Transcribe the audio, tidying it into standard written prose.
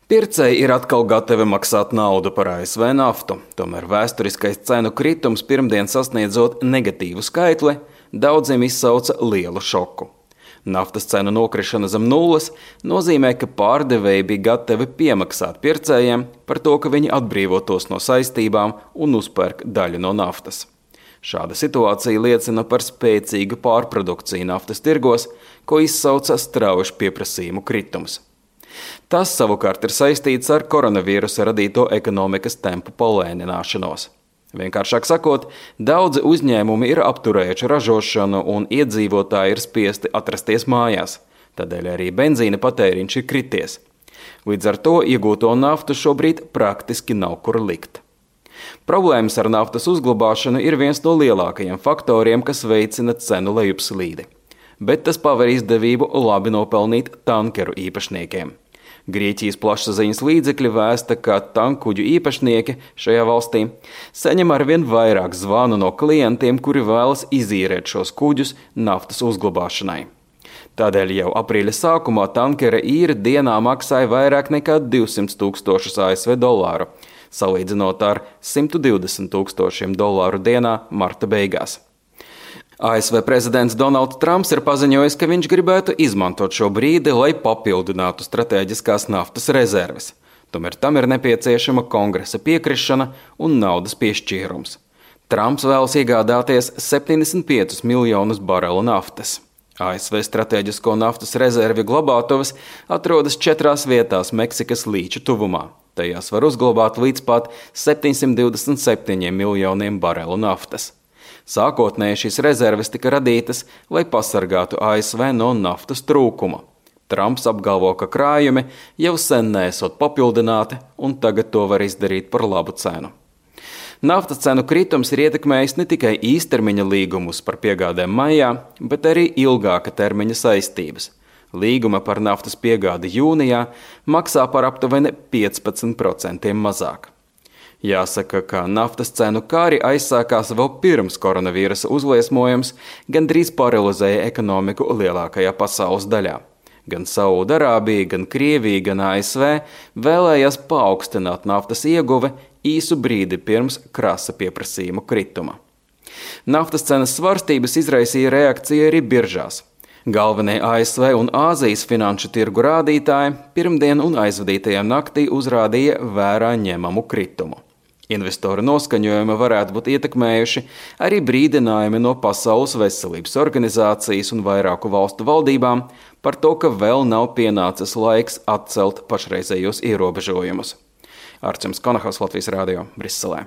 Pircēji ir atkal gatavi maksāt naudu par ASV naftu, tomēr vēsturiskais cenu kritums pirmdien sasniedzot negatīvu skaitli, daudziem izsauca lielu šoku. Naftas cenu nokrišana zem nulles nozīmē, ka pārdevēji bija gatavi piemaksāt pircējiem par to, ka viņi atbrīvotos no saistībām un uzpērk daļu no naftas. Šāda situācija liecina par spēcīgu pārprodukciju naftas tirgos, ko izsauca strauji pieprasījumu kritums. Tas savukārt ir saistīts ar koronavīrusa radīto ekonomikas tempu palēnināšanos. Vienkāršāk sakot, daudzi uzņēmumi ir apturējuši ražošanu un iedzīvotāji ir spiesti atrasties mājās, tādēļ arī benzīna patēriņš ir krities. Līdz ar to iegūto naftu šobrīd praktiski nav kur likt. Problēmas ar naftas uzglabāšanu ir viens no lielākajiem faktoriem, kas veicina cenu lejupslīdi, bet tas paver izdevību labi nopelnīt tankeru īpašniekiem. Grieķijas plašsaziņas līdzekļi vēsta, ka tankuģu īpašnieki šajā valstī saņem arvien vairāk zvanu no klientiem, kuri vēlas izīrēt šos kuģus naftas uzglabāšanai. Tādēļ jau aprīļa sākumā tankera īre dienā maksāja vairāk nekā 200 000 ASV dolāru, salīdzinot ar 120 000 dolāru dienā marta beigās. ASV prezidents Donalds Trumps ir paziņojis, ka viņš gribētu izmantot šo brīdi, lai papildinātu strateģiskās naftas rezerves. Tomēr tam ir nepieciešama kongresa piekrišana un naudas piešķīrums. Trumps vēlas iegādāties 75 miljonus barelu naftas. ASV strateģisko naftas rezervi glabātuvas atrodas 4 vietās Meksikas līča tuvumā. Tajās var uzglabāt līdz pat 727 miljoniem barelu naftas. Sākotnēji šīs rezerves tika radītas, lai pasargātu ASV no naftas trūkuma. Trumps apgalvo, ka krājumi jau sen neesot papildināti un tagad to var izdarīt par labu cenu. Naftas cenu kritums ir ietekmējis ne tikai īstermiņa līgumus par piegādēm maijā, bet arī ilgāka termiņa saistības. Līguma par naftas piegādi jūnijā maksā par aptuveni 15% mazāk. Jāsaka, ka naftas cenu kāri aizsākās vēl pirms koronavīrusa uzliesmojums, gandrīz paralizēja ekonomiku lielākajā pasaules daļā. Gan Saudarābija, gan Krievija, gan ASV vēlējās paaugstināt naftas ieguve īsu brīdi pirms krasa pieprasījuma krituma. Naftas cenas svārstības izraisīja reakciju arī biržās. Galvenie ASV un Āzijas finanšu tirgu rādītāji pirmdien un aizvadītajā naktī uzrādīja vērā ņemamu kritumu. Investoru noskaņojumi varētu būt ietekmējuši arī brīdinājumi no Pasaules veselības organizācijas un vairāku valstu valdībām par to, ka vēl nav pienācis laiks atcelt pašreizējos ierobežojumus. Arčuns Konahaus, Latvijas Rādio, Briselē.